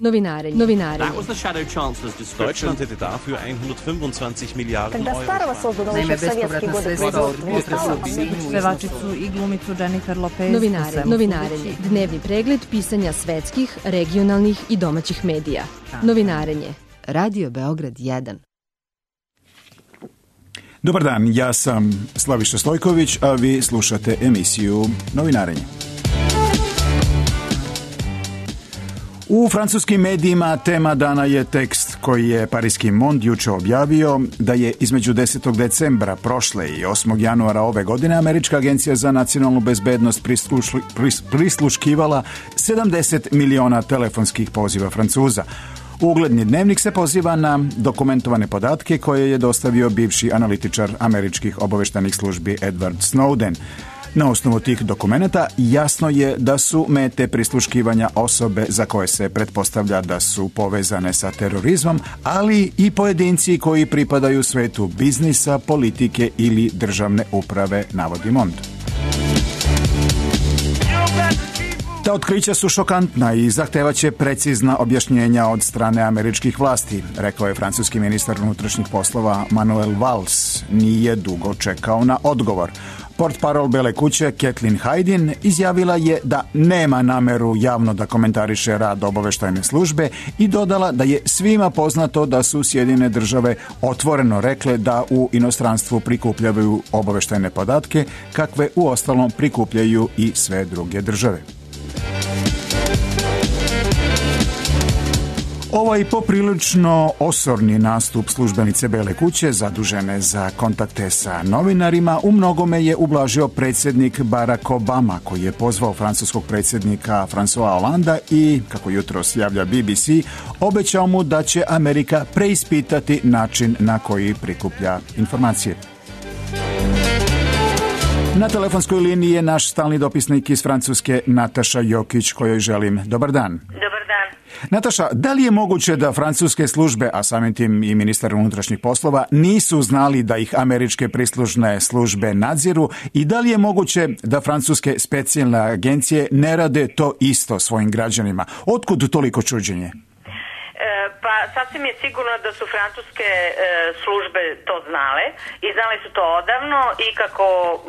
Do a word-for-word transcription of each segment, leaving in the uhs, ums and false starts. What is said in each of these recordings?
Novinarenje. Novinarenje. That was the Shadow Chancellor's description. Deutschland hätte dafür hundertfünfundzwanzig Milliarden Euro. Naime, bespovratna sredstva od pevačicu i glumicu Jennifer Lopez. Novinarenje. Novinarenje. Dnevni pregled pisanja svetskih, regionalnih i domaćih medija. Novinarenje. Radio Beograd jedan. Dobar dan, ja sam Slaviša Stojković, a vi slušate emisiju Novinarenje. U francuskim medijima tema dana je tekst koji je Pariski Monde juče objavio da je između desetog decembra prošle i osmog januara ove godine Američka agencija za nacionalnu bezbednost prislušli, pris, prisluškivala sedamdeset miliona telefonskih poziva Francuza. Ugledni dnevnik se poziva na dokumentovane podatke koje je dostavio bivši analitičar američkih obaveštajnih službi Edward Snowden. Na osnovu tih dokumenata jasno je da su mete prisluškivanja osobe za koje se pretpostavlja da su povezane sa terorizmom, ali i pojedinci koji pripadaju svetu biznisa, politike ili državne uprave, navodi Mond. Ta otkrića su šokantna i zahtevaće precizna objašnjenja od strane američkih vlasti, rekao je francuski ministar unutrašnjih poslova Manuel Valls. Nije dugo čekao na odgovor. Portparol Bele kuće Kathleen Hayden izjavila je da nema nameru javno da komentariše rad obaveštajne službe i dodala da je svima poznato da su Sjedinjene države otvoreno rekle da u inostranstvu prikupljaju obaveštajne podatke, kakve uostalom prikupljaju i sve druge države. Ovaj poprilično osorni nastup službenice Bele kuće, zadužene za kontakte sa novinarima, u mnogome je ublažio predsjednik Barack Obama, koji je pozvao francuskog predsjednika François Hollanda i, kako jutros javlja B B C, obećao mu da će Amerika preispitati način na koji prikuplja informacije. Na telefonskoj liniji je naš stalni dopisnik iz Francuske Nataša Jokić, kojoj želim dobar dan. Dobar dan. Nataša, da li je moguće da francuske službe, a samim tim i ministar unutrašnjih poslova, nisu znali da ih američke prislužne službe nadziru i da li je moguće da francuske specijalne agencije ne rade to isto svojim građanima? Otkud toliko čuđenje? Pa sasvim je sigurno da su francuske e, službe to znale i znali su to odavno i kako m,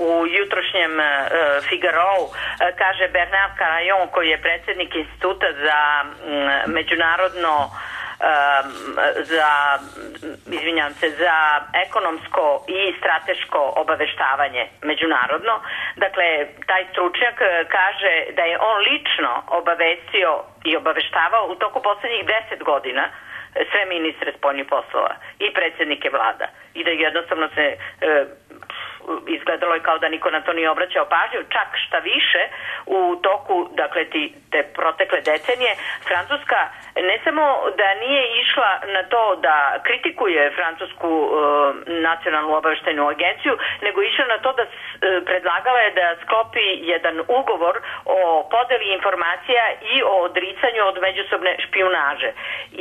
u jutrošnjem e, Figarou e, kaže Bernard Carayon, koji je predsjednik Instituta za m, međunarodno za, izvinjam se, za ekonomsko i strateško obaveštavanje međunarodno. Dakle, taj stručnjak kaže da je on lično obavestio i obaveštavao u toku posljednjih deset godina sve ministre spoljnih poslova i predsjednike vlada i da jednostavno se e, izgledalo je kao da niko na to nije obraćao pažnju, čak šta više u toku, dakle, ti, te protekle decenije Francuska ne samo da nije išla na to da kritikuje francusku e, nacionalnu obaveštajnu agenciju, nego išla na to da e, predlagala je da sklopi jedan ugovor o podeli informacija i o odricanju od međusobne špijunaže.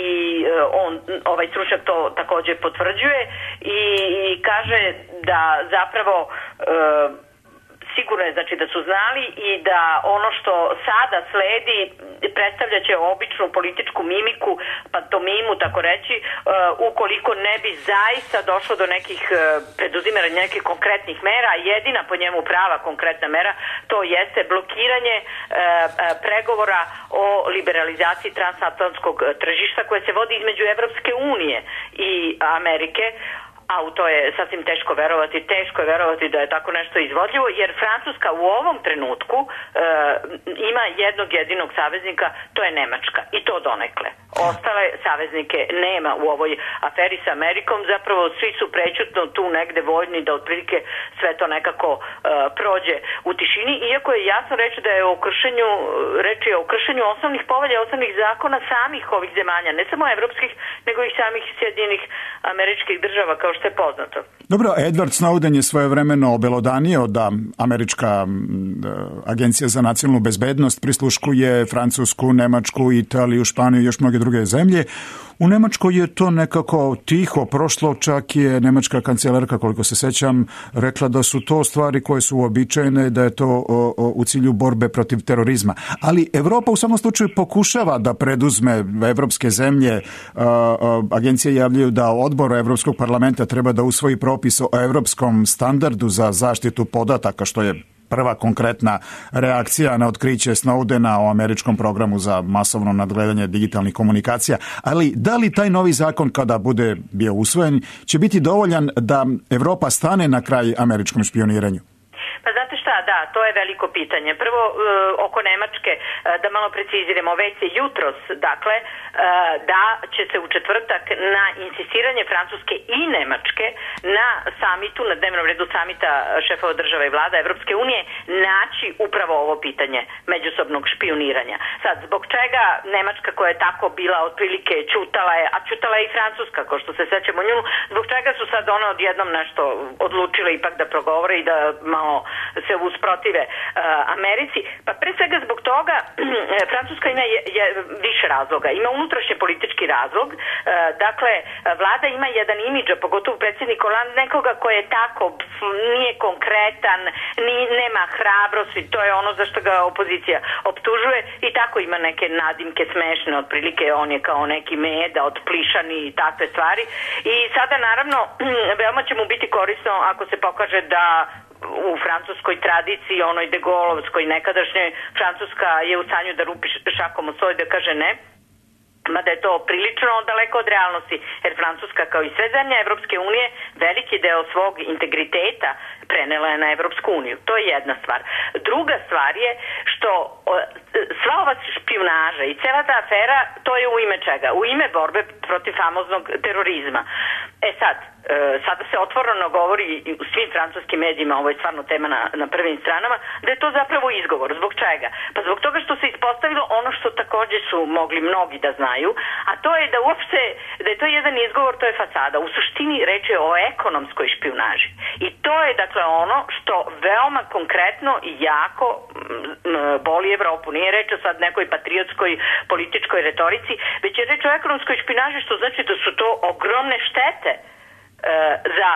I e, on, ovaj stručnjak to također potvrđuje i, i kaže da zapravo E, sigurno je, znači, da su znali i da ono što sada sledi predstavlja će običnu političku mimiku, pantomimu, tako reći, e, ukoliko ne bi zaista došlo do nekih e, preduzimanja nekih konkretnih mera. Jedina po njemu prava konkretna mera to jeste blokiranje e, pregovora o liberalizaciji transatlantskog tržišta koje se vodi između Evropske unije i Amerike. A u to je sasvim teško verovati, teško je verovati da je tako nešto izvodljivo, jer Francuska u ovom trenutku e, ima jednog jedinog saveznika, to je Nemačka, i to donekle. Ostale saveznike nema u ovoj aferi sa Amerikom, zapravo svi su prećutno tu negde voljni da otprilike sve to nekako e, prođe u tišini, iako je jasno reći da je o kršenju, reč je o kršenju osnovnih povelja, osnovnih zakona samih ovih zemalja, ne samo evropskih, nego i samih Sjedinjenih Američkih Država, kao što je poznato. Dobro, Edward Snowden je svojevremeno obelodanio da američka Agencija za nacionalnu bezbednost prisluškuje Francusku, Nemačku, Italiju, Španiju i još mnoge druge zemlje. U Nemačkoj je to nekako tiho prošlo, čak je nemačka kancelarka, koliko se sećam, rekla da su to stvari koje su uobičajene, da je to o, o, u cilju borbe protiv terorizma. Ali Evropa u samom slučaju pokušava da preduzme evropske zemlje. A, a, agencije javljaju da odbor Evropskog parlamenta treba da usvoji propis o evropskom standardu za zaštitu podataka, što je prva konkretna reakcija na otkriće Snowdena o američkom programu za masovno nadgledanje digitalnih komunikacija. Ali da li taj novi zakon, kada bude bio usvojen, će biti dovoljan da Evropa stane na kraj američkom špioniranju? Pa znate šta, da, to je veliko pitanje. Prvo, e, oko Nemačke, e, da malo preciziramo, već je jutros, dakle, e, da će se u četvrtak na insistiranje Francuske i Nemačke na samitu, na dnevnom redu samita šefova država i vlada Evropske unije, naći upravo ovo pitanje međusobnog špioniranja. Sad, zbog čega Nemačka, koja je tako bila otprilike čutala je, a čutala je i Francuska, kao što se sećamo nju, zbog čega su sad one odjednom nešto odlučile ipak da progovore i da malo se usprotive uh, Americi, pa pre svega zbog toga Francuska ima je, je više razloga. Ima unutrašnje politički razlog, uh, dakle, vlada ima jedan imidž, a pogotovo predsjednik Hollande, nekoga koji je tako, nije konkretan, ni, nema hrabrosti, to je ono za što ga opozicija optužuje i tako ima neke nadimke smešne, otprilike on je kao neki meda, otplišani i takve stvari. I sada naravno veoma će mu biti korisno ako se pokaže da u francuskoj tradiciji, onoj de Gaullovskoj nekadašnjoj, Francuska je u stanju da rupi šakom o stol i da kaže ne, mada je to prilično daleko od realnosti, jer Francuska, kao i sve zemlje Evropske unije, veliki deo svog integriteta prenela je na Evropsku uniju. To je jedna stvar. Druga stvar je što sva ova špijunaža i cela ta afera, to je u ime čega? U ime borbe protiv famoznog terorizma. E sad, sada se otvoreno govori u svim francuskim medijima, ovo je stvarno tema na, na prvim stranama, da je to zapravo izgovor. Zbog čega? Pa zbog toga što se ispostavilo ono što takođe su mogli mnogi da znaju, a to je da uopšte, da je to jedan izgovor, to je fasada. U suštini reč je o ekonomskoj špijunaži. I to je dakle ono što veoma konkretno i jako boli Evropu. Nije reč o sad nekoj patriotskoj političkoj retorici, već je reč o ekonomskoj špijunaži, što znači da su to ogromne štete za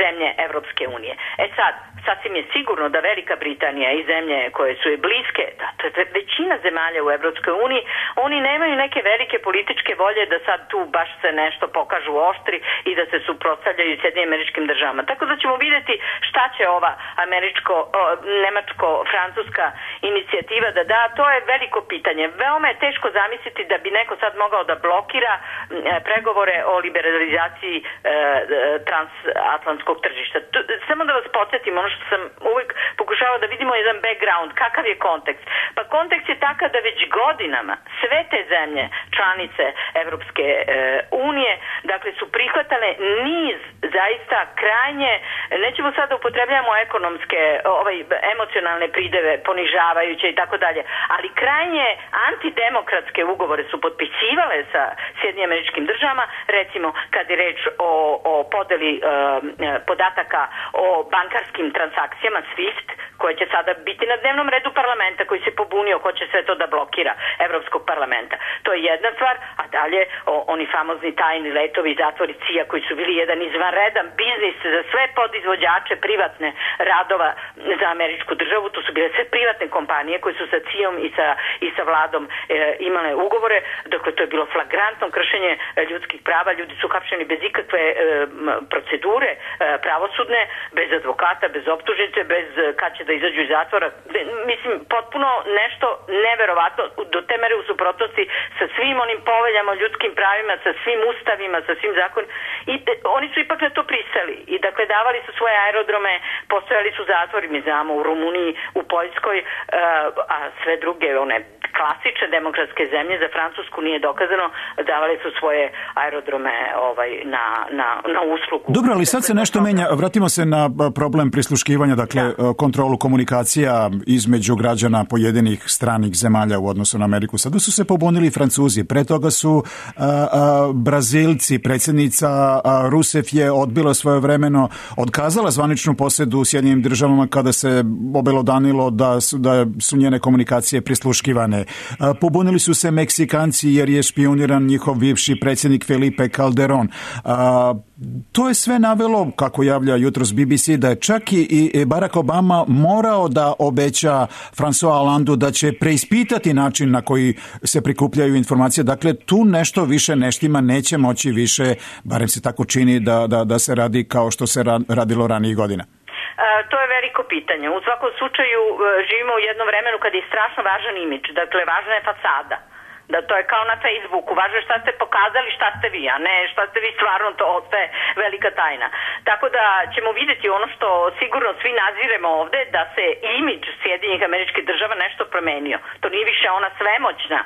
zemlje Evropske unije. E sad, sasvim je sigurno da Velika Britanija i zemlje koje su je bliske, da, to je većina zemalja u Evropskoj uniji, oni nemaju neke velike političke volje da sad tu baš se nešto pokažu oštri i da se suprotstavljaju Sjedinjenim Američkim Državama. Tako da ćemo vidjeti šta će ova američko, o, nemačko-francuska inicijativa da da, to je veliko pitanje. Veoma je teško zamisliti da bi neko sad mogao da blokira e, pregovore o liberalizaciji e, transatlantskog tržišta. Tu, samo da vas podsjetim, ono što sam uvijek pokušala da vidimo jedan background, kakav je kontekst. Pa kontekst je takav da već godinama sve te zemlje, članice Evropske e, unije, dakle su prihvatale niz zaista krajnje, nećemo sada upotrebljamo ekonomske, ovaj, emocionalne prideve, ponižavajuće i tako dalje, ali krajnje antidemokratske ugovore su potpisivale sa Sjedinjenim Američkim Državama, recimo kad je reč o, o podeli e, podataka o bankarskim transakcijama SWIFT, koje će sada biti na dnevnom redu parlamenta, koji se pobunio, hoće sve to da blokira Evropskog parlamenta. To je jedna stvar, a dalje o, oni famozni tajni letovi i zatvori C I A koji su bili jedan izvanredan biznis za sve podizvođače privatne radova za američku državu. To su bile sve privatne kompanije koje su sa C I A-om i sa, i sa vladom e, imale ugovore. Dakle, to je bilo flagrantno kršenje ljudskih prava. Ljudi su hapšeni bez ikakve e, procedure e, pravosudne, bez advokata, bez optužnice, bez kad će da izađu iz zatvora. Mislim, potpuno nešto neverovatno, do te mere u suprotnosti sa svim onim poveljama o ljudskim pravima, sa svim ustavima, sa svim zakonima. I de, oni su ipak na to pristali. I dakle, davali su svoje aerodrome, postojali su zatvori, mi znamo, u Rumuniji, u Poljskoj, uh, a sve druge, one klasične demokratske zemlje, za Francusku nije dokazano, davali su svoje aerodrome ovaj, na, na, na uslugu. Dobro, ali sad se nešto menja. Vratimo se na problem prisluškivanja, dakle da. kontrolu komunikacija između građana pojedinih stranih zemalja u odnosu na Ameriku. Sada su se pobunili Francuzi, pre toga su a, a, Brazilci, predsjednica a, Rousseff je odbila svojevremeno, odkazala zvaničnu posedu u Sjedinjenim državama kada se obelodanilo da su, da su njene komunikacije prisluškivane. A, pobunili su se Meksikanci jer je špijuniran njihov bivši predsjednik Felipe Calderón. A, to je sve navelo, kako javlja jutros B B C, da je čak i Barack Obama morao da obeća François Hollandeu da će preispitati način na koji se prikupljaju informacije. Dakle, tu nešto više neštima, neće moći više, barem se tako čini, da, da, da se radi kao što se radilo ranijih godina. To je veliko pitanje. U svakom slučaju živimo u jednom vremenu kad je strašno važan imidž, dakle važna je fasada. Da to je kao na Facebooku, važno je šta ste pokazali, šta ste vi, a ne šta ste vi stvarno, to ostaje velika tajna. Tako da ćemo vidjeti ono što sigurno svi naziremo ovde, da se imidž Sjedinjenih Američkih Država nešto promenio. To nije više ona svemoćna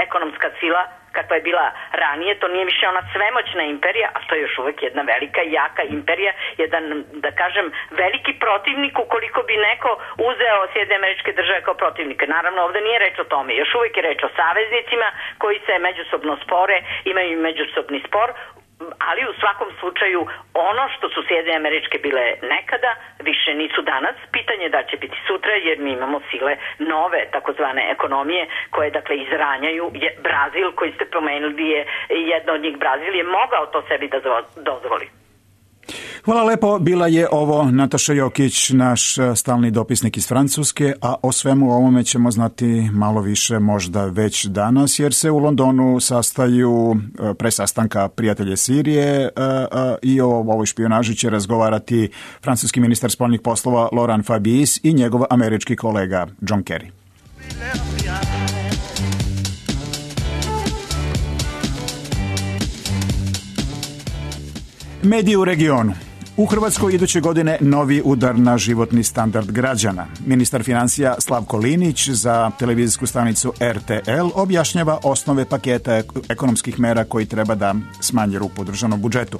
ekonomska sila kakva je bila ranije, to nije više ona svemoćna imperija, a to je još uvek jedna velika i jaka imperija, jedan, da kažem, veliki protivnik ukoliko bi neko uzeo Sjedinjene Američke Države kao protivnike. Naravno, ovde nije reč o tome, još uvek je reč o saveznicima koji se međusobno spore, imaju međusobni spor, ali u svakom slučaju ono što su Sjedinjene Američke bile nekada, više nisu danas. Pitanje da će biti sutra, jer mi imamo sile nove takozvane ekonomije koje dakle izranjaju. Je, Brazil koji ste pomenuli je jedna od njih, Brazil je mogao to sebi da dozvoli. Hvala lepo, bila je ovo Nataša Jokić, naš stalni dopisnik iz Francuske, a o svemu ovome ćemo znati malo više možda već danas, jer se u Londonu sastaju pre sastanka prijatelje Sirije i o ovoj špijunaži će razgovarati francuski ministar spoljnih poslova Laurent Fabius i njegov američki kolega John Kerry. Mediji u regionu. U Hrvatskoj iduće godine novi udar na životni standard građana. Ministar financija Slavko Linić za televizijsku stanicu R T L objašnjava osnove paketa ekonomskih mera koji treba da smanje rupu u državnom budžetu.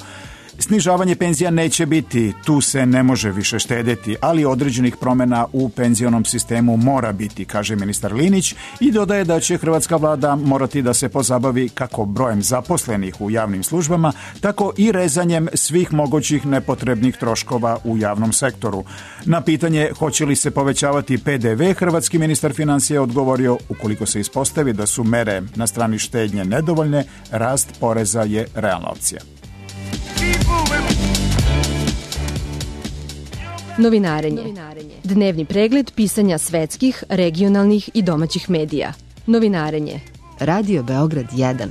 Snižavanje penzija neće biti, tu se ne može više štedeti, ali određenih promjena u penzionom sistemu mora biti, kaže ministar Linić i dodaje da će hrvatska vlada morati da se pozabavi kako brojem zaposlenih u javnim službama, tako i rezanjem svih mogućih nepotrebnih troškova u javnom sektoru. Na pitanje hoće li se povećavati P D V, hrvatski ministar financija odgovorio ukoliko se ispostavi da su mere na strani štednje nedovoljne, rast poreza je realna opcija. Novinarenje. Dnevni pregled pisanja svetskih, regionalnih i domaćih medija. Novinarenje. Radio Beograd jedan.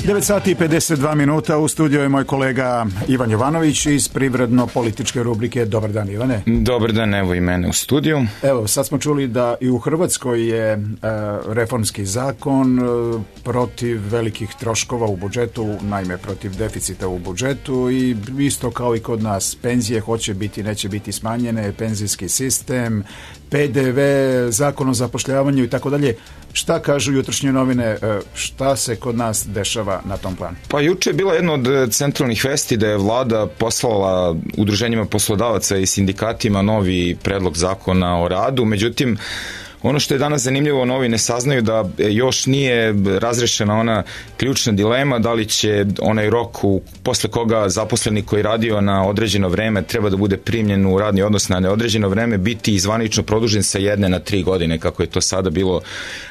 devet sati i pedeset dva minuta, u studiju je moj kolega Ivan Jovanović iz privredno-političke rubrike. Dobar dan, Ivane. Dobar dan, evo i mene u studiju. Evo, sad smo čuli da i u Hrvatskoj je e, reformski zakon e, protiv velikih troškova u budžetu, naime protiv deficita u budžetu i isto kao i kod nas, penzije hoće biti, neće biti smanjene, penzijski sistem, P D V, zakon o zapošljavanju i tako dalje. Šta kažu jutrošnje novine, šta se kod nas dešava na tom planu? Pa juče je bila jedna od centralnih vesti da je vlada poslala udruženjima poslodavaca i sindikatima novi predlog zakona o radu, međutim ono što je danas zanimljivo, novine saznaju da još nije razrešena ona ključna dilema da li će onaj rok u, posle koga zaposleni koji radio na određeno vreme treba da bude primljen u radni odnos na neodređeno vreme biti izvanično produžen sa jedne na tri godine kako je to sada bilo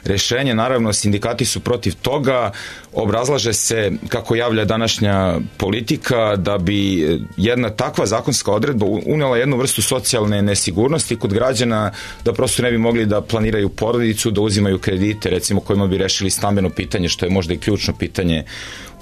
rešenje. Naravno, sindikati su protiv toga, obrazlaže se kako javlja današnja politika da bi jedna takva zakonska odredba unela jednu vrstu socijalne nesigurnosti kod građana, da prosto ne bi mogli da planiraju porodicu, da uzimaju kredite, recimo kojima bi rešili stambeno pitanje, što je možda i ključno pitanje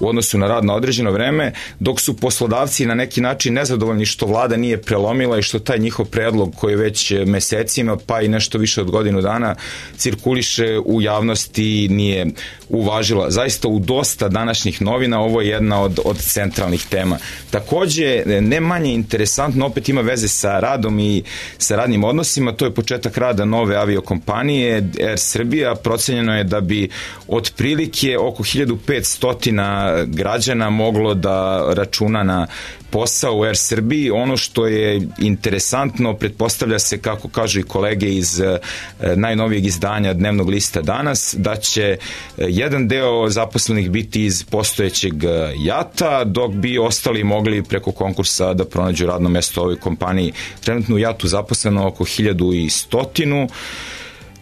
u odnosu na rad na određeno vreme, dok su poslodavci na neki način nezadovoljni što vlada nije prelomila i što taj njihov predlog koji već mesecima pa i nešto više od godinu dana cirkuliše u javnosti nije uvažila. Zaista u dosta današnjih novina ovo je jedna od, od centralnih tema. Takođe, ne manje interesantno, opet ima veze sa radom i sa radnim odnosima, to je početak rada nove aviokompanije Air Srbija. Procenjeno je da bi otprilike oko hiljadu petsto građana moglo da računa na posao u Air Srbiji. Ono što je interesantno, pretpostavlja se, kako kažu i kolege iz e, najnovijeg izdanja Dnevnog lista Danas, da će jedan deo zaposlenih biti iz postojećeg JAT-a, dok bi ostali mogli preko konkursa da pronađu radno mesto u ovoj kompaniji. Trenutno u JAT-u zaposleno oko hiljadu stotinu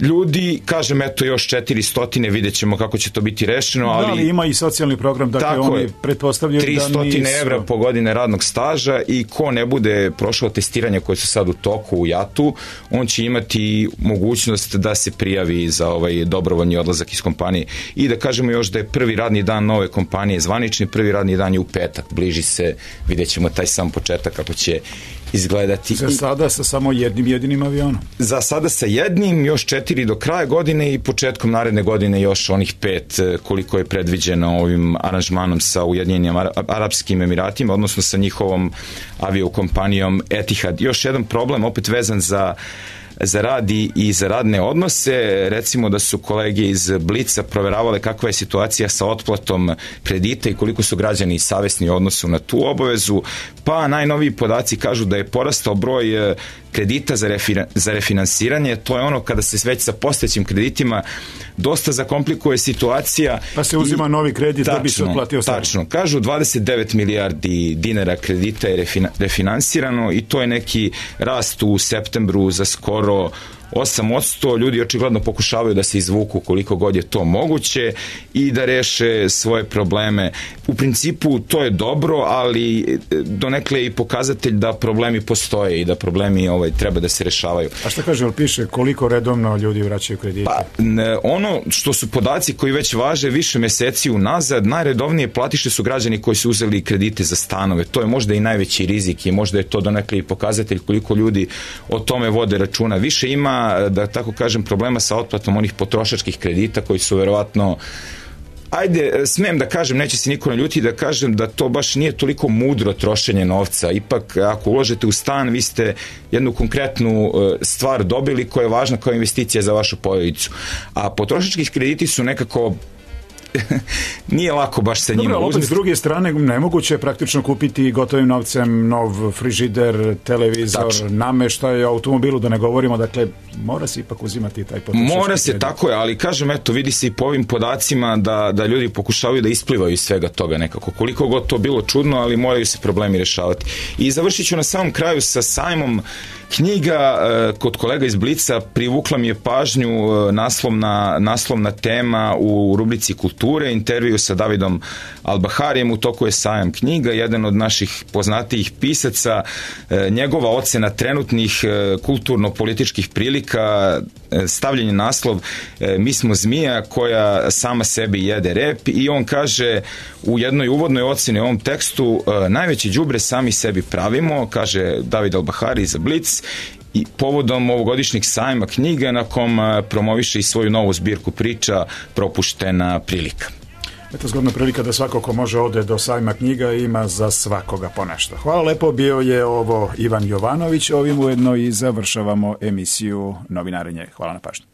ljudi, kažem, eto još četiristo, vidjet ćemo kako će to biti rešeno, ali... Da, ali ima i socijalni program, dakle oni pretpostavljaju da nisu... tristo evra po godine radnog staža i ko ne bude prošao testiranje koje su sad u toku u JAT-u, on će imati mogućnost da se prijavi za ovaj dobrovoljni odlazak iz kompanije. I da kažemo još da je prvi radni dan nove kompanije zvanični, prvi radni dan je u petak, bliži se, vidjet ćemo taj sam početak kako će izgledati. Za sada sa samo jednim jedinim avionom? Za sada sa jednim, još četiri do kraja godine i početkom naredne godine još onih pet koliko je predviđeno ovim aranžmanom sa Ujedinjenim Arapskim Emiratima, odnosno sa njihovom aviokompanijom Etihad. Još jedan problem, opet vezan za za rad i za radne odnose. Recimo da su kolege iz Blica proveravale kakva je situacija sa otplatom kredita i koliko su građani savesni u odnosu na tu obavezu, pa najnoviji podaci kažu da je porastao broj kredita za, refina, za refinansiranje. To je ono kada se već sa postojećim kreditima dosta zakomplikuje situacija. Pa se uzima i, novi kredit tačno, da bi se otplatio stari. Tačno. Kažu dvadeset devet milijardi dinara kredita je refina, refinansirano i to je neki rast u septembru za skoro osam posto. Ljudi očigledno pokušavaju da se izvuku koliko god je to moguće i da reše svoje probleme. U principu to je dobro, ali donekle je i pokazatelj da problemi postoje i da problemi ovaj, treba da se rešavaju. A šta kaže, ali piše koliko redovno ljudi vraćaju kredite? Pa, ne, ono što su podaci koji već važe više meseci unazad, najredovnije platiše su građani koji su uzeli kredite za stanove. To je možda i najveći rizik i možda je to donekle i pokazatelj koliko ljudi o tome vode računa. Više ima, da tako kažem, problema sa otplatom onih potrošačkih kredita koji su verovatno, ajde, smem da kažem, neće se niko naljuti da kažem da to baš nije toliko mudro trošenje novca. Ipak, ako uložete u stan, vi ste jednu konkretnu stvar dobili koja je važna kao investicija za vašu porodicu. A potrošački krediti su nekako nije lako baš sa njima. Dobro, opet s druge strane nemoguće je praktično kupiti gotovim novcem nov frižider, televizor, tačno, nameštaj, automobilu, da ne govorimo, dakle mora se ipak uzimati taj potrošački Mora se, kredit. Tako je, ali kažem, eto, vidi se i po ovim podacima da, da ljudi pokušavaju da isplivaju iz svega toga nekako. Koliko god to bilo čudno, ali moraju se problemi rešavati. I završit ću na samom kraju sa sajmom knjiga. Kod kolega iz Blica privukla mi je pažnju naslovna, naslovna tema u rubrici Kulture, intervju sa Davidom Albaharijem. U toku je sajam knjiga, jedan od naših poznatijih pisaca, njegova ocena trenutnih kulturno-političkih prilika, stavljen naslov Mi smo zmija koja sama sebi jede rep, i on kaže u jednoj uvodnoj oceni u ovom tekstu: najveće đubre sami sebi pravimo, kaže David Albahari za Blic, i povodom ovogodišnjeg sajma knjiga na kom promoviše i svoju novu zbirku priča Propuštena prilika. Eto, zgodna prilika da svako ko može ode do sajma knjiga, ima za svakoga ponešto. Hvala lepo, bio je ovo Ivan Jovanović, ovim ujedno i završavamo emisiju Novinarenje. Hvala na pažnju.